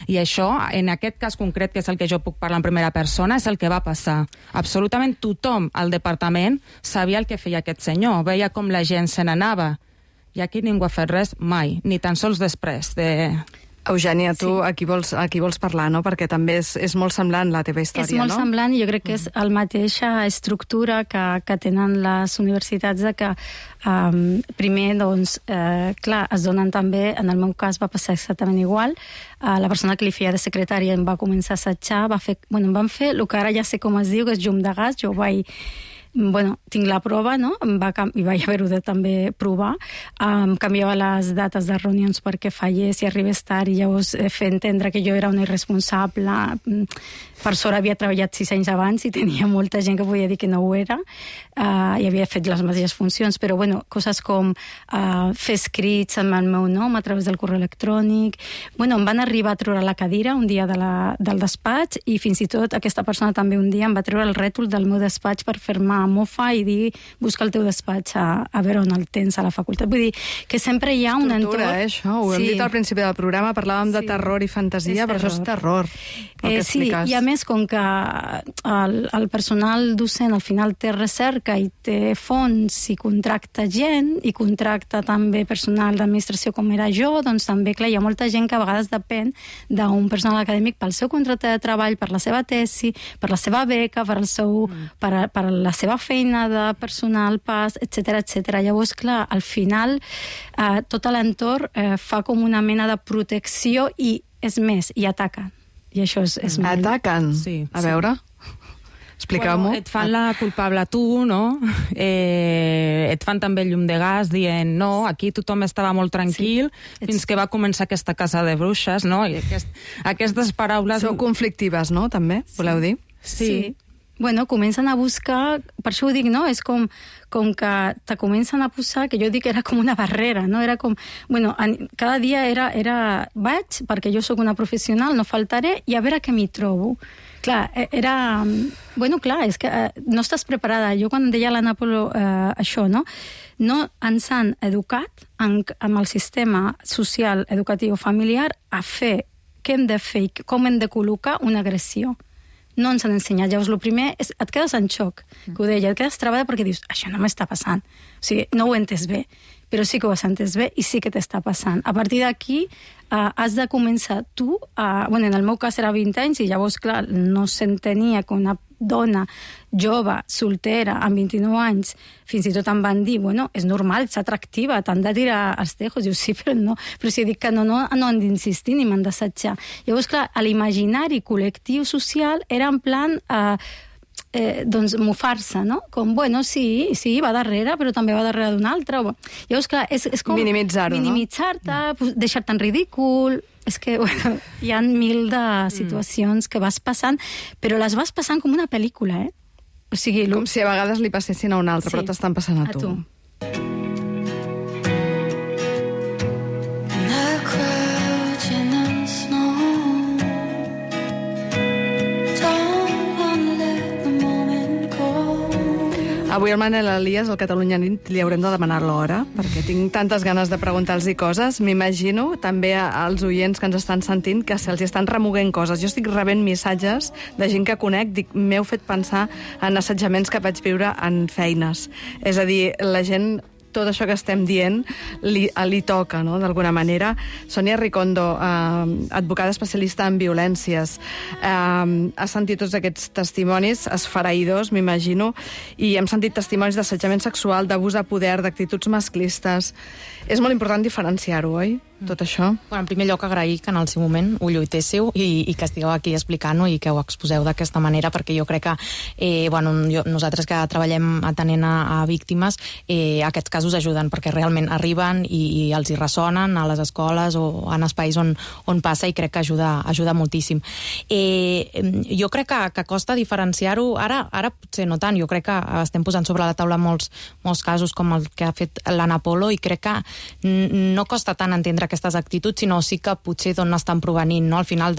I això, en aquest cas concret, que és el que jo puc parlar en primera persona, és el que va passar. Absolutament tothom al departament sabia el que feia aquest senyor. Veia com la gent se n'anava I aquí ningú ha fet res mai, ni tan sols després de... Eugènia, tu aquí vols parlar, no? Perquè també és molt semblant la teva història, no? És molt semblant i jo crec que és la mateixa estructura que tenen les universitats de que primer, doncs, clar, es donen també, en el meu cas va passar exactament igual, la persona que li feia de secretària em va començar a assetjar, em van fer el que ara ja sé com es diu, que és llum de gas, jo vaig... tinc la prova, no? I vaig haver-ho de també provar. Em canviava les dates de reunions perquè fallés i arribés tard i llavors fer entendre que jo era una irresponsable. Per sort havia treballat 6 anys abans i tenia molta gent que podia dir que no ho era i havia fet les mateixes funcions, però coses com fer escrits amb el meu nom a través del correu electrònic. Em van arribar a treure la cadira un dia del despatx i fins i tot aquesta persona també un dia em va treure el rètol del meu despatx per fer-me mofa i dir busca el teu despatx a veure on el tens a la facultat. Vull dir que sempre hi ha un entorn... Tortura, això. Ho hem dit al principi del programa, parlàvem de terror i fantasia, però això és terror, el que expliques. I a més, com que el personal docent al final té recerca i té fons i contracta gent i contracta també personal d'administració com era jo, doncs també, clar, hi ha molta gent que a vegades depèn d'un personal acadèmic pel seu contracte de treball, per la seva tesi, per la seva beca, per la seva feina de personal, etc. Llavors, clar, al final tot l'entorn fa com una mena de protecció i, és més, i ataquen. I això és molt... Ataquen? Sí. A veure... Expliqueu-m'ho. Et fan la culpable a tu, no? Et fan també llum de gas dient no, aquí tothom estava molt tranquil fins que va començar aquesta casa de bruixes, no? I aquestes paraules... Sou conflictives, no? També, voleu dir? Sí. Comencen a buscar, per això ho dic, no? És com que te comencen a posar, que jo dic que era com una barrera, no? Era com, cada dia vaig, perquè jo sóc una professional, no faltaré, i a veure què m'hi trobo. Clar, era... clar, és que no estàs preparada. Jo quan deia a l'Anna Polo això, no? No ens han educat amb el sistema social, educatiu, familiar a fer què hem de fer i com hem de col·locar una agressió. No ens han ensenyat. Llavors, el primer és et quedes en xoc, que ho deia, et quedes travada perquè dius, això no m'està passant. O sigui, no ho he entès bé, però sí que ho has entès bé i sí que t'està passant. A partir d'aquí, has de començar tu, en el meu cas era 20 anys i llavors, clar, no s'entenia que una dona jove, soltera, amb 29 anys, fins i tot em van dir, és normal, ets atractiva, t'han de tirar els tejos. Diu, sí, però no. Però si dic que no han d'insistir ni m'han d'assetjar. Llavors, clar, l'imaginari col·lectiu social era en plan... doncs mofar-se, no? Com, sí, va darrere, però també va darrere d'un altre. Llavors, clar, és com... Minimitzar-ho, no? Minimitzar-te, deixar-te en ridícul... És que, hi ha 1000 de situacions que vas passant, però les vas passant com una pel·lícula, O sigui... Com si a vegades li passessin a un altre, però t'estan passant a tu. Avui al Manel Elias, al Catalunya Nit, li haurem de demanar l'hora, perquè tinc tantes ganes de preguntar-los coses. M'imagino també als oients que ens estan sentint que se'ls estan remoguent coses. Jo estic rebent missatges de gent que conec, m'heu fet pensar en assetjaments que vaig viure en feines. És a dir, la gent... tot això que estem dient li toca, no?, d'alguna manera. Sònia Ricondo, advocada especialista en violències, ha sentit tots aquests testimonis esfereïdors, m'imagino, i hem sentit testimonis d'assetjament sexual, d'abús de poder, d'actituds masclistes. És molt important diferenciar-ho, oi?, tot això? En primer lloc, agrair que en el seu moment ho lluitéssiu i que estigueu aquí explicant-ho i que ho exposeu d'aquesta manera, perquè jo crec que nosaltres que treballem atenent a víctimes, aquests casos ajuden, perquè realment arriben i els hi ressonen a les escoles o en espais on passa, i crec que ajuda moltíssim. Jo crec que costa diferenciar-ho, ara potser no tant, jo crec que estem posant sobre la taula molts casos com el que ha fet l'Anna Polo, i crec que no costa tant entendre aquestes actituds, sinó sí que potser d'on estan provenint, no? Al final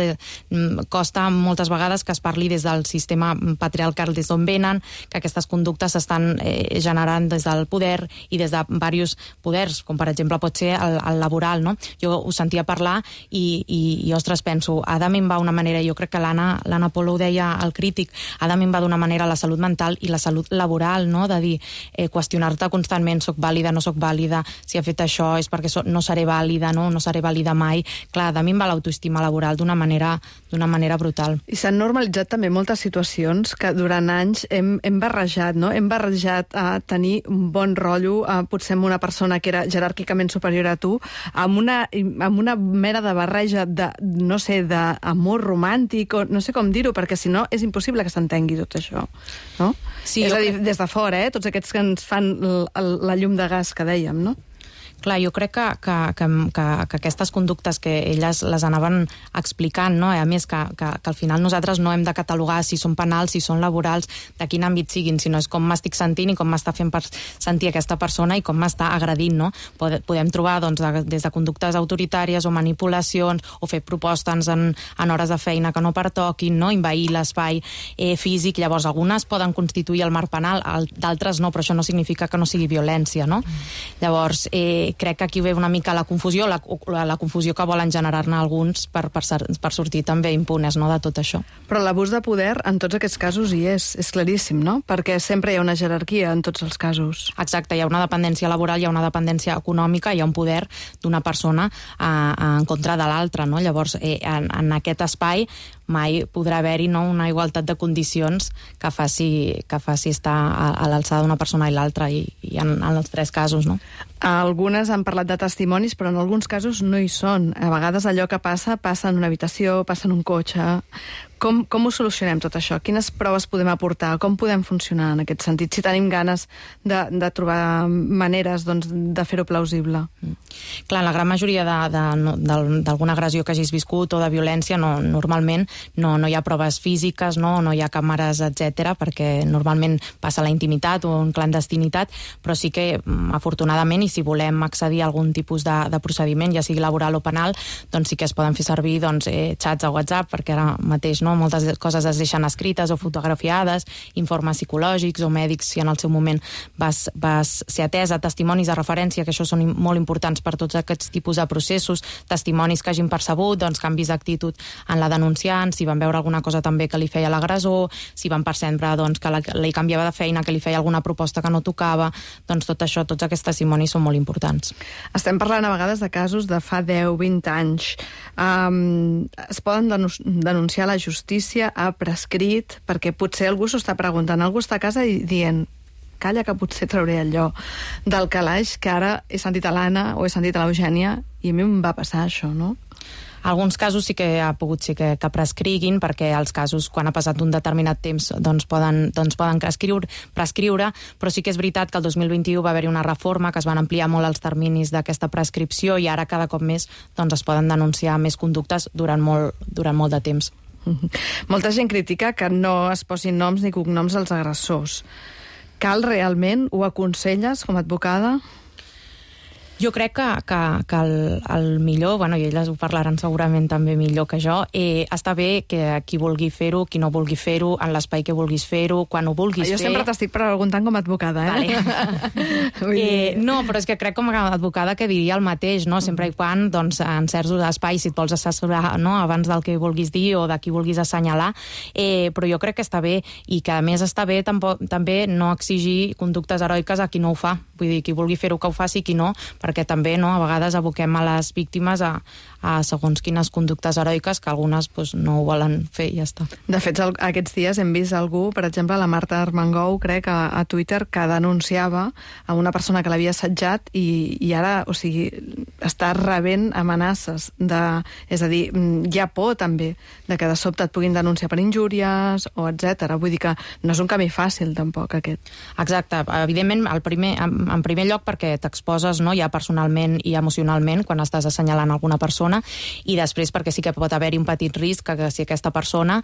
costa moltes vegades que es parli des del sistema patriarcal, des d'on venen, que aquestes conductes s'estan generant des del poder i des de diversos poders, com per exemple pot ser el laboral, no? Jo ho sentia parlar i ostres, penso, ha de minvar una manera, jo crec que l'Anna Polo ho deia al Crític, ha de minvar d'una manera la salut mental i la salut laboral, no? De dir, qüestionar-te constantment, soc vàlida, no soc vàlida, si he fet això és perquè no seré vàlida, no seré vàlida mai. Clar, de minvar l'autoestima laboral d'una manera brutal. I s'han normalitzat també moltes situacions que durant anys hem barrejat, no? Hem barrejat a tenir un bon rotllo, potser amb una persona que era jeràrquicament superior a tu, amb una mera de barreja no sé, d'amor romàntic, o no sé com dir-ho, perquè si no és impossible que s'entengui tot això, no? Sí, és a dir, des de fora, tots aquests que ens fan la llum de gas que dèiem, no? Clar, jo crec que aquestes conductes que elles les anaven explicant, no? A més que al final nosaltres no hem de catalogar si són penals, si són laborals, de quin àmbit siguin, sinó és com m'estic sentint i com m'està fent sentir aquesta persona i com m'està agredint, no? Podem trobar des de conductes autoritàries o manipulacions o fer propostes en hores de feina que no pertoquin, no? Envair l'espai físic. Llavors, algunes poden constituir el marc penal, d'altres no, però això no significa que no sigui violència, no? Llavors, crec que aquí ve una mica la confusió, la confusió que volen generar-ne alguns per sortir també impunes, no?, de tot això. Però l'abús de poder en tots aquests casos hi és claríssim, no? Perquè sempre hi ha una jerarquia en tots els casos. Exacte, hi ha una dependència laboral, hi ha una dependència econòmica, hi ha un poder d'una persona en contra de l'altra, no? Llavors, en aquest espai mai podrà haver-hi una igualtat de condicions que faci estar a l'alçada d'una persona i l'altra, i en els tres casos, no? Algunes han parlat de testimonis, però en alguns casos no hi són. A vegades allò que passa en una habitació, passa en un cotxe. Com ho solucionem tot això? Quines proves podem aportar? Com podem funcionar en aquest sentit? Si tenim ganes de trobar maneres de fer-ho plausible. Clar, la gran majoria d'alguna agressió que hagis viscut o de violència, normalment no hi ha proves físiques, no hi ha càmeres, etc, perquè normalment passa a la intimitat o en clandestinitat, però sí que, afortunadament, i si volem accedir a algun tipus de procediment, ja sigui laboral o penal, doncs sí que es poden fer servir xats a WhatsApp, perquè ara mateix moltes coses es deixen escrites o fotografiades, informes psicològics o mèdics, si en el seu moment vas ser atesa, testimonis de referència, que això són molt importants per tots aquests tipus de processos, testimonis que hagin percebut, canvis d'actitud en la denunciant, si van veure alguna cosa també que li feia l'agressor, si van percebre que li canviava de feina, que li feia alguna proposta que no tocava, tot això, tots aquests testimonis són molt importants. Estem parlant a vegades de casos de fa 10-20 anys. Es poden denunciar a la justícia, ha prescrit, perquè potser algú s'ho està preguntant, algú està a casa i dient, calla que potser trauré allò del calaix que ara he sentit a l'Anna o he sentit a l'Eugènia i a mi em va passar això, no? Alguns casos sí que ha pogut ser que prescriguin, perquè els casos, quan ha passat un determinat temps, poden prescriure, però sí que és veritat que el 2021 va haver-hi una reforma, que es van ampliar molt els terminis d'aquesta prescripció i ara cada cop més es poden denunciar més conductes durant molt de temps. Molta gent critica que no es posin noms ni cognoms als agressors. Cal realment? Ho aconselles com a advocada? Jo crec que el millor, i elles ho parlaran segurament també millor que jo, està bé que qui vulgui fer-ho, qui no vulgui fer-ho, en l'espai que vulguis fer-ho, quan ho vulguis fer... Jo sempre t'estic preguntant com a advocada, No, però és que crec com a advocada que diria el mateix, no? Sempre i quan, en certs espais, si et vols assessorar abans del que vulguis dir o de qui vulguis assenyalar, però jo crec que està bé, i que a més està bé també no exigir conductes heroiques a qui no ho fa. Vull dir, qui vulgui fer-ho que ho faci, qui no, perquè també a vegades aboquem a les víctimes a segons quines conductes heroiques que algunes no ho volen fer i ja està. De fet, aquests dies hem vist algú, per exemple, la Marta Armengou, crec, a Twitter, que denunciava a una persona que l'havia assetjat i ara, està rebent amenaces. És a dir, hi ha por també de que de sobte et puguin denunciar per injúries o etc. Vull dir que no és un camí fàcil tampoc aquest. Exacte. Evidentment, en primer lloc perquè t'exposes, no, ja personalment i emocionalment quan estàs assenyalant alguna persona, i després perquè sí que pot haver-hi un petit risc que si aquesta persona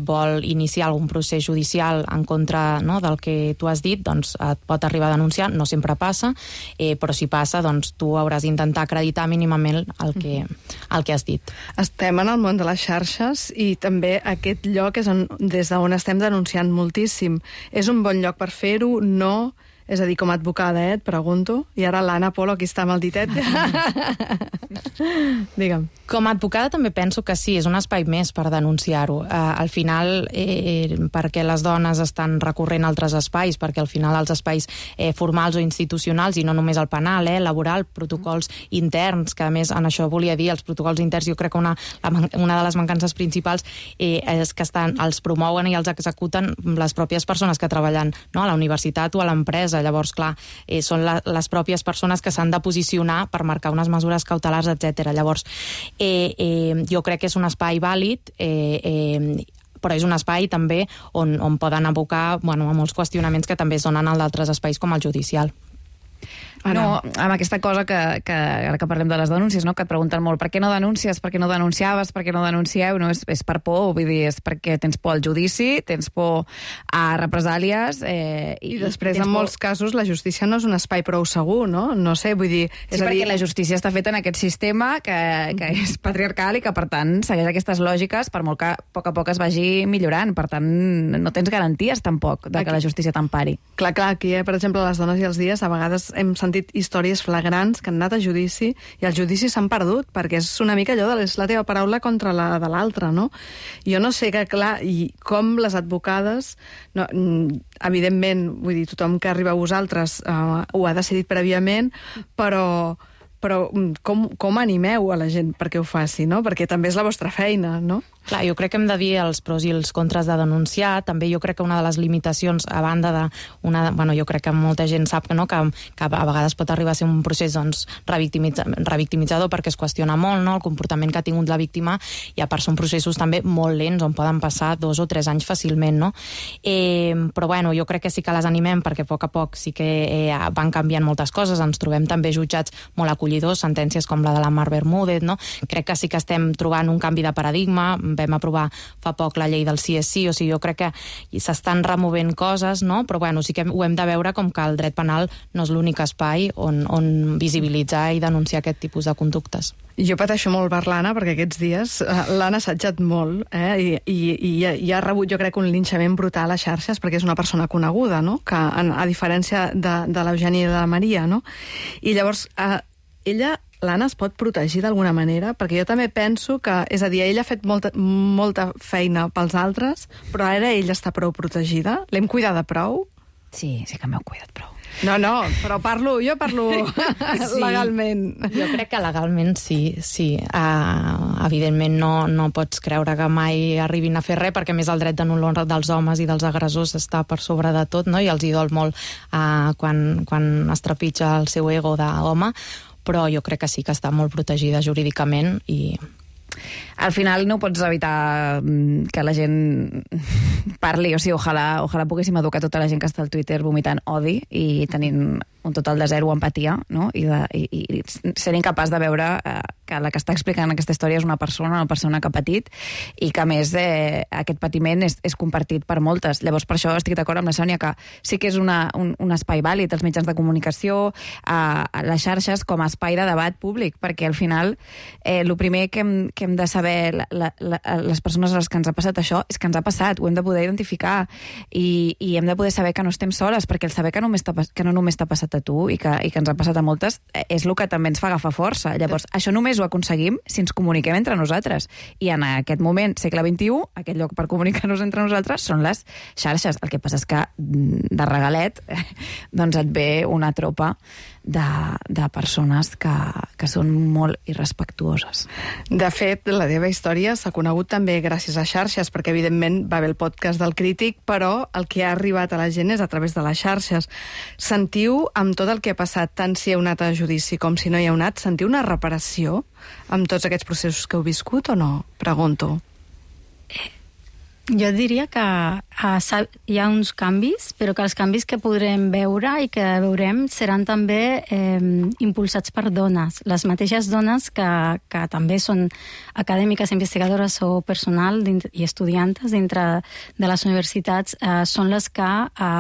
vol iniciar algun procés judicial en contra, no, del que tu has dit, doncs et pot arribar a denunciar. No sempre passa, però si passa, doncs tu hauràs d'intentar acreditar mínimament el que has dit. Estem en el món de les xarxes i també aquest lloc és des d'on estem denunciant moltíssim. És un bon lloc per fer-ho? No? És a dir, com a advocada, et pregunto. I ara l'Anna Polo, aquí està amb el ditet. Digue'm. Com a advocada també penso que sí, és un espai més per denunciar-ho. Al final, perquè les dones estan recorrent a altres espais, perquè al final els espais formals o institucionals, i no només el penal, laboral, protocols interns, que a més en això volia dir, els protocols interns, jo crec que una de les mancances principals és que els promouen i els executen les pròpies persones que treballen, no, a la universitat o a l'empresa. Llavors, clar, són les pròpies persones que s'han de posicionar per marcar unes mesures cautelars, etc. Llavors, jo crec que és un espai vàlid, però és un espai també on poden abocar a molts qüestionaments que també es donen a d'altres espais com el judicial. No, amb aquesta cosa que ara que parlem de les denúncies, no? Que et pregunten molt per què no denuncies, per què no denunciaves, per què no denuncieu, no? És per por, vull dir, és perquè tens por al judici, tens por a represàlies... I després, en molts casos, la justícia no és un espai prou segur, no? No sé, vull dir... Sí, perquè la justícia està feta en aquest sistema que és patriarcal i que, per tant, segueix aquestes lògiques, per molt que a poc es vagi millorant. Per tant, no tens garanties, tampoc, de que la justícia t'empari. Clar, aquí, per exemple, a les dones i els dies, a vegades hem sentit històries flagrants que han anat a judici i els judicis s'han perdut, perquè és una mica allò de la teva paraula contra la de l'altra, no? Jo no sé que, clar, i com les advocades, no, evidentment, vull dir, tothom que arriba a vosaltres ho ha decidit prèviament, però com animeu a la gent perquè ho faci, no? Perquè també és la vostra feina, no? Clar, jo crec que hem de dir els pros i els contres de denunciar. També jo crec que una de les limitacions, a banda de... jo crec que molta gent sap que a vegades pot arribar a ser un procés revictimitzador perquè es qüestiona molt, no?, el comportament que ha tingut la víctima, i a part són processos també molt lents on poden passar 2 o 3 anys fàcilment, no? Però jo crec que sí que les animem perquè a poc sí que van canviant moltes coses. Ens trobem també jutjats molt acollidors, sentències com la de la Mar Bermúdez, no? Crec que sí que estem trobant un canvi de paradigma. Vam aprovar fa poc la llei del sí és sí, o sigui, jo crec que s'estan removent coses, no? Però sí que ho hem de veure com que el dret penal no és l'únic espai on visibilitzar i denunciar aquest tipus de conductes. Jo pateixo molt per l'Anna, perquè aquests dies l'han assajat molt, i ha rebut, jo crec, un linxament brutal a xarxes, perquè és una persona coneguda, no?, que a diferència de l'Eugènia i de la Maria, no? I llavors, l'Anna es pot protegir d'alguna manera? Perquè jo també penso que, és a dir, ella ha fet molta feina pels altres, però ara ella està prou protegida? L'hem cuidada prou? Sí que m'heu cuidat prou. No, però jo parlo legalment. Jo crec que legalment sí. Evidentment no pots creure que mai arribin a fer res, perquè més el dret de l'honor dels homes i dels agressors està per sobre de tot, no? I els hi dol molt quan es trepitja el seu ego d'home, però jo crec que sí que està molt protegida jurídicament i... Al final no pots evitar que la gent parli, o sigui, ojalà poguéssim educar tota la gent que està al Twitter vomitant odi i tenint un total de zero empatia, no? I ser incapaç de veure que la que està explicant aquesta història és una persona que ha patit, i que a més aquest patiment és compartit per moltes. Llavors, per això estic d'acord amb la Sònia que sí que és un espai vàlid, els mitjans de comunicació, a les xarxes com a espai de debat públic, perquè al final el primer que hem de saber les persones a les que ens ha passat això és que ens ha passat, ho hem de poder identificar i hem de poder saber que no estem soles, perquè el saber que no només t'ha passat a tu i que ens ha passat a moltes és el que també ens fa agafar força. Llavors, això només ho aconseguim si ens comuniquem entre nosaltres, i en aquest moment, segle XXI, aquest lloc per comunicar-nos entre nosaltres són les xarxes. El que passa és que de regalet doncs et ve una tropa de persones que són molt irrespectuoses. De fet, la teva història s'ha conegut també gràcies a xarxes, perquè evidentment va haver el podcast del Crític, però el que ha arribat a la gent és a través de les xarxes. Sentiu, amb tot el que ha passat, tant si heu anat a judici com si no hi heu anat, sentiu una reparació amb tots aquests processos que heu viscut o no? Pregunto. Jo diria que hi ha uns canvis, però que els canvis que podrem veure i que veurem seran també impulsats per dones. Les mateixes dones que també són acadèmiques, investigadores o personal i estudiantes dintre de les universitats són les que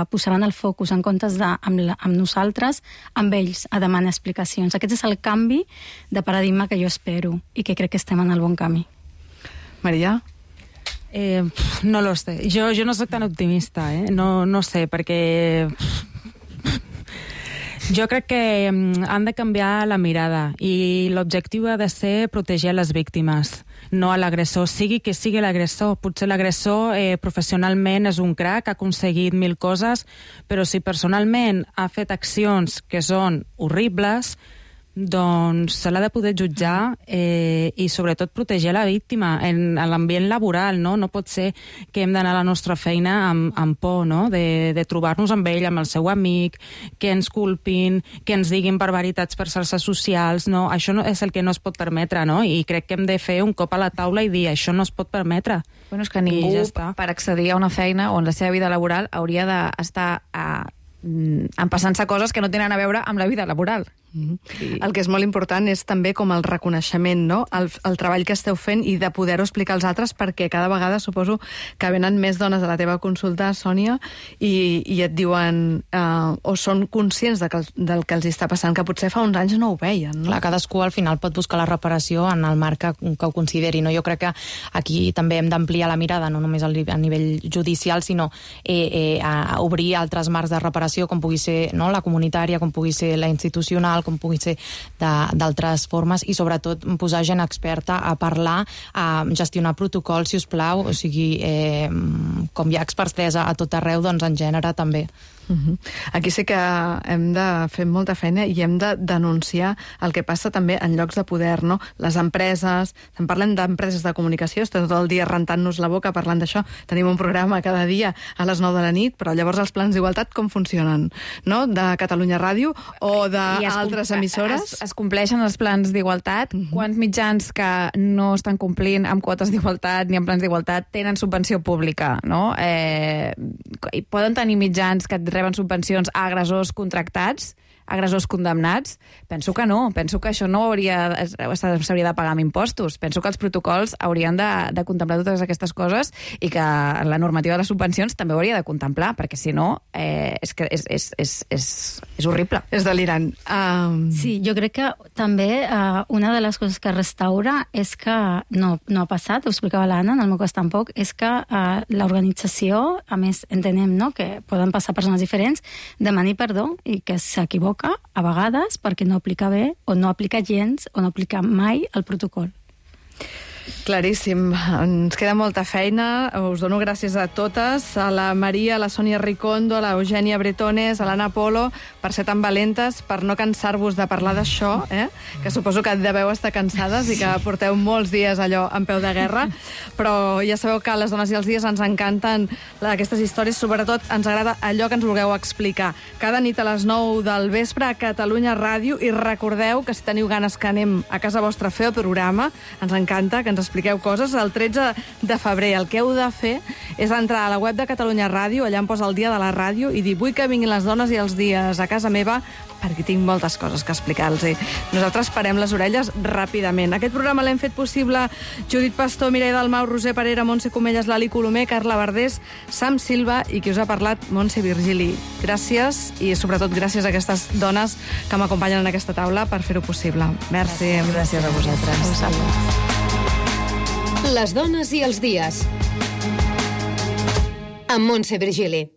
posaran el focus en comptes amb nosaltres, amb ells, a demanar explicacions. Aquest és el canvi de paradigma que jo espero i que crec que estem en el bon camí. Maria? No lo sé. Jo no soc tan optimista, no sé, perquè jo crec que han de canviar la mirada i l'objectiu ha de ser protegir les víctimes, no a l'agressor, sigui que sigui l'agressor. Potser l'agressor professionalment és un crac, ha aconseguit 1000 coses, però si personalment ha fet accions que són horribles, doncs se l'ha de poder jutjar i sobretot protegir la víctima en l'ambient laboral, no? No pot ser que hem d'anar a la nostra feina amb por, no? De trobar-nos amb ell, amb el seu amic, que ens culpin, que ens diguin barbaritats per xarxes socials, no? Això no és el que no es pot permetre, no? I crec que hem de fer un cop a la taula i dir això no es pot permetre. Bueno, és que ningú, per accedir a una feina o en la seva vida laboral, hauria d'estar empassant-se coses que no tenen a veure amb la vida laboral. El que és molt important és també com el reconeixement, no? El treball que esteu fent i de poder-ho explicar als altres, perquè cada vegada suposo que venen més dones a la teva consulta, Sònia, i et diuen o són conscients del que els està passant, que potser fa uns anys no ho veien, no? Clar, cadascú al final pot buscar la reparació en el marc que ho consideri, no? Jo crec que aquí també hem d'ampliar la mirada, no només a nivell judicial, sinó a obrir altres marcs de reparació, com pugui ser la comunitària, com pugui ser la institucional, com pugui ser d'altres formes, i sobretot posar gent experta a parlar, a gestionar protocols, si us plau, o sigui, com hi ha expertesa a tot arreu, doncs en gènere també. Aquí sí que hem de fer molta feina i hem de denunciar el que passa també en llocs de poder, no? Les empreses, en parlem d'empreses de comunicació, estem tot el dia rentant-nos la boca parlant d'això, tenim un programa cada dia a les 9 de la nit, però llavors els plans d'igualtat com funcionen, no? De Catalunya Ràdio o d'altres emissores? Es compleixen els plans d'igualtat. Quants mitjans que no estan complint amb quotes d'igualtat ni amb plans d'igualtat tenen subvenció pública, no? Poden tenir mitjans que reben subvencions a agressors contractats, agressors condemnats? Penso que no. Penso que això no s'hauria de pagar amb impostos. Penso que els protocols haurien de contemplar totes aquestes coses i que la normativa de les subvencions també ho hauria de contemplar, perquè si no és horrible. És delirant. Sí, jo crec que també una de les coses que restaura és que no ha passat, ho explicava l'Anna, en el meu cas tampoc, és que l'organització, a més entenem, no?, que poden passar persones diferents, demani perdó i que s'equivoca a vegades perquè no aplica bé o no aplica gens o no aplica mai el protocol. Claríssim. Ens queda molta feina. Us dono gràcies a totes, a la Maria, a la Sònia Ricondo, a la Eugènia Bretones, a l'Anna Polo, per ser tan valentes, per no cansar-vos de parlar d'això, que suposo que deveu estar cansades i que porteu molts dies allò en peu de guerra, però ja sabeu que a les dones i els dies ens encanten aquestes històries, sobretot ens agrada allò que ens vulgueu explicar. Cada nit a les 9 del vespre a Catalunya Ràdio, i recordeu que si teniu ganes que anem a casa vostra a fer el programa, ens encanta que ens expliqueu coses. El 13 de febrer el que heu de fer és entrar a la web de Catalunya Ràdio, allà em posa el dia de la ràdio, i dir: vull que vinguin les dones i els dies a casa meva perquè tinc moltes coses que explicar-los. Nosaltres parem les orelles ràpidament. Aquest programa l'hem fet possible Judit Pastor, Mireia Dalmau, Roser Parera, Montse Comelles, Lali Colomer, Carla Verdés, Sam Silva i qui us ha parlat, Montse Virgili. Gràcies, i sobretot gràcies a aquestes dones que m'acompanyen en aquesta taula per fer-ho possible. Merci. Gràcies a vosaltres. Les dones i els dies. Amb Montse Virgili.